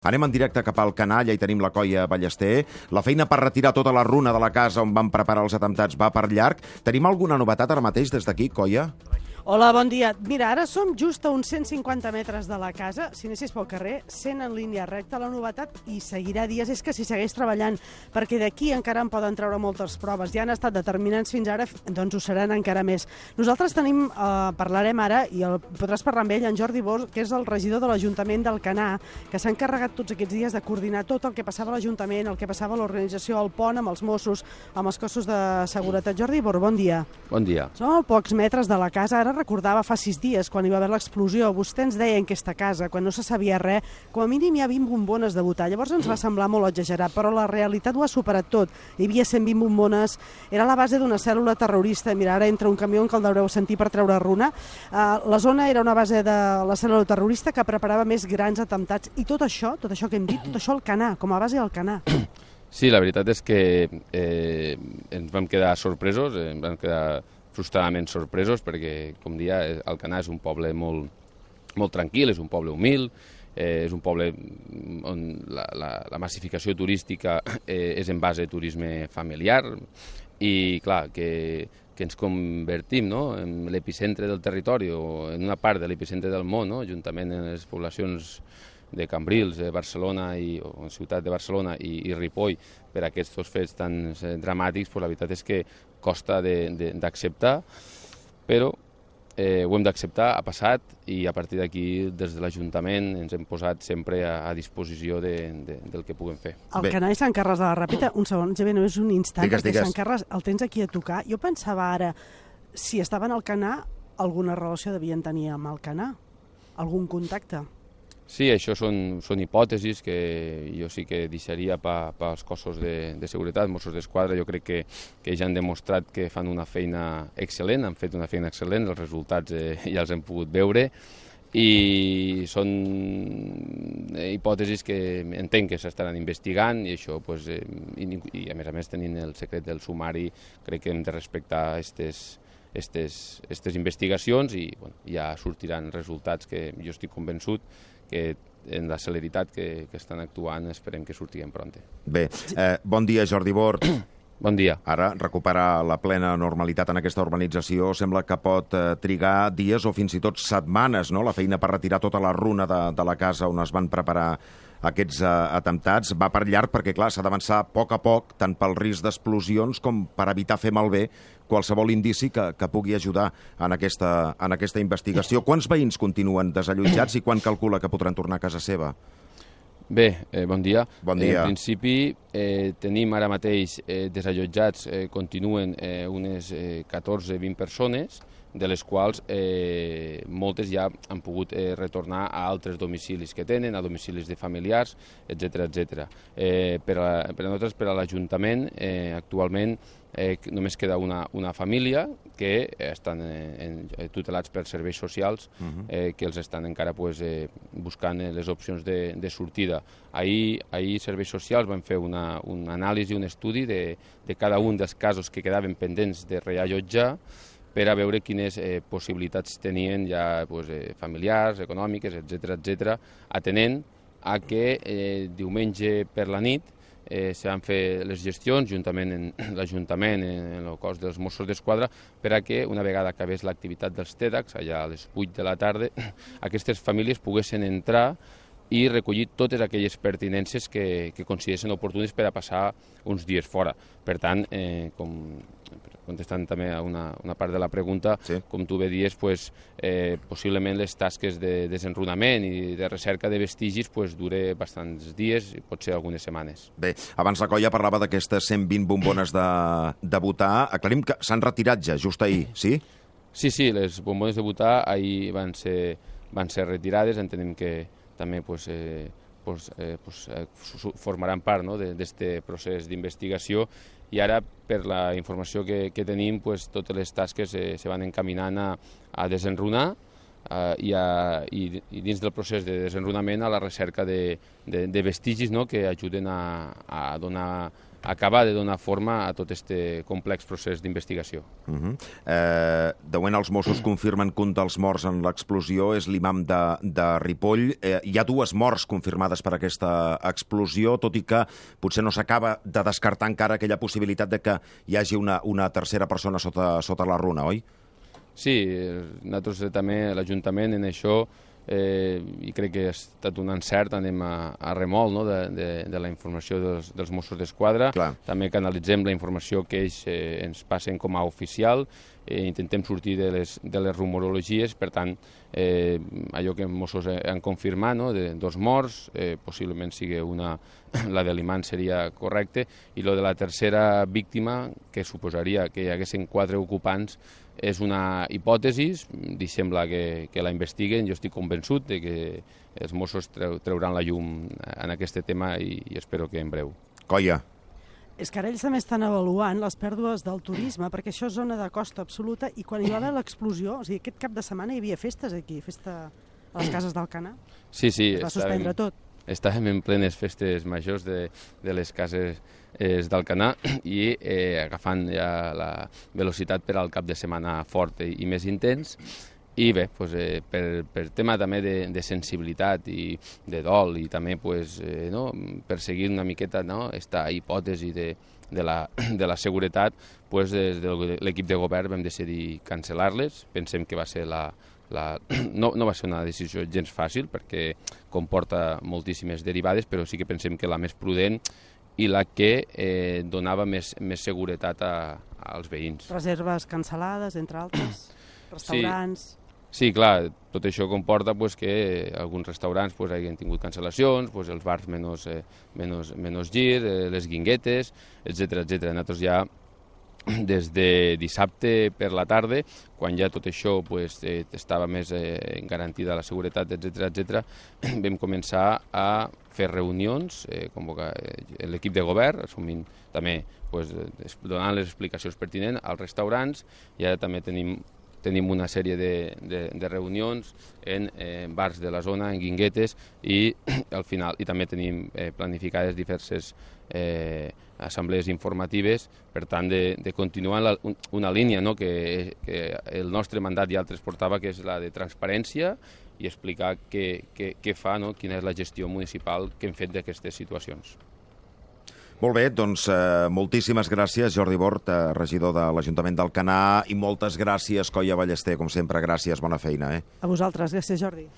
Anem en directe cap al Canalla i tenim la Coia Ballester. La feina per retirar tota la runa de la casa on van preparar els atemptats va per llarg. Tenim alguna novetat ara mateix des d'aquí, Coia? Hola, bon dia. Mira, ara som just a uns 150 metres de la casa. Si anessis pel carrer, 100 en línia recta. La novetat, i seguirà dies, és que s'hi segueix treballant, perquè d'aquí encara en poden treure moltes proves. Ja han estat determinants fins ara, doncs ho seran encara més. Nosaltres parlarem ara, i podràs parlar amb ell, en Jordi Bors, que és el regidor de l'Ajuntament d'Alcanar, que s'ha encarregat tots aquests dies de coordinar tot el que passava a l'Ajuntament, el que passava a l'organització, al pont, amb els Mossos, amb els cossos de seguretat. Jordi Bors, bon dia. Bon dia. Som a pocs metres de la casa. Ara recordava fa 6 dies, quan hi va haver l'explosió, vostè ens deia en aquesta casa, quan no se sabia res, com a mínim hi ha 20 bombones de butà. Llavors ens va semblar molt exagerat, però la realitat ho ha superat tot. Hi havia 120 bombones, era la base d'una cèl·lula terrorista. Mira, ara entra un camió que el deureu sentir per treure runa. La zona era una base de la cèl·lula terrorista que preparava més grans atemptats. I tot això que hem dit, tot això al Canà, com a base al Canà. Sí, la veritat és que ens vam quedar sorpresos, ens vam quedar frustradament sorpresos, perquè, com dia, Alcanar és un poble molt tranquil, és un poble humil, és un poble on la massificació turística és en base a turisme familiar i, clar, que ens convertim, no?, en l'epicentre del territori o en una part de l'epicentre del món, no?, juntament amb les poblacions de Cambrils, de Barcelona o ciutat de Barcelona i Ripoll, per aquests fets tan dramàtics, la veritat és que costa d'acceptar, però ho hem d'acceptar, ha passat, i a partir d'aquí, des de l'Ajuntament, ens hem posat sempre a disposició del que puguem fer. El Canà i Sant Carles de la Ràpita, un segon, ja només un instant, perquè Sant Carles el tens aquí a tocar. Jo pensava ara, si estaven al Canà, alguna relació devien tenir amb el Canà, algun contacte. Sí, això són hipòtesis que jo sí que deixaria pels cossos de seguretat, Mossos d'Esquadra. Jo crec que ja han demostrat que fan una feina excel·lent, han fet una feina excel·lent, els resultats ja els hem pogut veure, i són hipòtesis que entenc que s'estaran investigant, i això, i a més tenint el secret del sumari, crec que hem de respectar aquestes investigacions, i ja sortiran resultats que jo estic convençut que en la celeritat que estan actuant esperem que sortiguem pront. Bé, bon dia, Jordi Bors. Bon dia. Ara, recuperar la plena normalitat en aquesta urbanització sembla que pot trigar dies o fins i tot setmanes, no?, la feina per retirar tota la runa de la casa on es van preparar aquests atemptats. Va per llarg perquè, clar, s'ha d'avançar a poc, tant pel risc d'explosions com per evitar fer malbé qualsevol indici que pugui ajudar en aquesta investigació. Quants veïns continuen desallotjats i quan calcula que podran tornar a casa seva? Bé, bon dia. Bon dia. En principi tenim ara mateix desallotjats, continuen unes 14-20 persones, de les quals moltes ja han pogut retornar a altres domicilis que tenen, a domicilis de familiars, etc. Per a nosaltres, per a l'Ajuntament, actualment només queda una família que estan tutelats per serveis socials, que els estan encara buscant les opcions de sortida. Ahir serveis socials van fer una anàlisi, un estudi de cada un dels casos que quedaven pendents de reallotjar, per a veure quines possibilitats tenien ja familiars, econòmiques, etc., atenent a que diumenge per la nit se van fer les gestions, juntament amb l'Ajuntament, en el cos dels Mossos d'Esquadra, per a que, una vegada acabés l'activitat dels TEDx, allà a les 8 de la tarda, aquestes famílies poguessin entrar i recollir totes aquelles pertinences que consideressin oportunes per a passar uns dies fora. Per tant, contestant també a una part de la pregunta, sí, com tu bé dies, possiblement les tasques de desenrunament i de recerca de vestigis dure bastants dies, potser algunes setmanes. Bé, abans la Coia parlava d'aquestes 120 bombones de butà. Aclarim que s'han retirat ja, just ahir, sí? Sí, les bombones de butà ahir van ser retirades, entenem que també formaran part d'aquest procés d'investigació, i ara, per la informació que tenim, totes les tasques se van encaminant a desenrunar i dins del procés de desenrunament a la recerca de vestigis, no?, que ajuden a acabar de donar forma a tot aquest complex procés d'investigació. De moment els Mossos confirmen que un dels morts en l'explosió és l'imam de Ripoll. Hi ha 2 morts confirmades per aquesta explosió, tot i que potser no s'acaba de descartar encara aquella possibilitat de que hi hagi una tercera persona sota la runa, oi? Sí, nosaltres també, l'Ajuntament, en això, i crec que ha estat un encert, anem a remol, no?, de la informació dels Mossos d'Esquadra. També canalitzem la informació que ells ens passen com a oficial, intentem sortir de les rumorologies, per tant, allò que els Mossos han confirmat, no?, de 2 morts, possiblement sigui la de l'imam seria correcte, i lo de la tercera víctima, que suposaria que hi haguessin 4 ocupants, és una hipòtesi, sembla que la investiguen, jo estic convençut de que els Mossos trauran la llum en aquest tema i espero que en breu. Coia. És que ara ells també estan avaluant les pèrdues del turisme, perquè això és zona de costa absoluta, i quan hi va haver l'explosió, o sigui, aquest cap de setmana hi havia festes aquí, festa a les cases d'Alcanar. Sí, es va suspendre tot. Estàvem en plenes festes majors de les cases d'Alcanar i agafant ja la velocitat per al cap de setmana fort i més intens. I bé, per tema també de sensibilitat i de dol i també per seguir una miqueta aquesta hipòtesi de la seguretat, des de l'equip de govern vam decidir cancel·lar-les. Pensem que va ser no va ser una decisió gens fàcil perquè comporta moltíssimes derivades, però sí que pensem que la més prudent i la que donava més seguretat als veïns. Reserves cancel·lades, entre altres, restaurants... Sí, clar, tot això comporta que alguns restaurants hagin tingut cancel·lacions, els bars menys gir, les guinguetes, etc. Nosaltres ja des de dissabte per la tarda, quan ja tot això estava més garantida la seguretat, etc., vam començar a fer reunions, convocar l'equip de govern, assumint també donant les explicacions pertinents als restaurants, i ara també tenim una sèrie de reunions en bars de la zona, en guinguetes, i al final també tenim planificades diverses assemblees informatives, per tant, de continuar una línia que el nostre mandat ja el transportava, que és la de transparència i explicar què fa, quina és la gestió municipal que hem fet d'aquestes situacions. Molt bé, doncs moltíssimes gràcies, Jordi Bort, regidor de l'Ajuntament d'Alcanar, i moltes gràcies, Coia Ballester, com sempre, gràcies, bona feina. A vosaltres, gràcies, Jordi.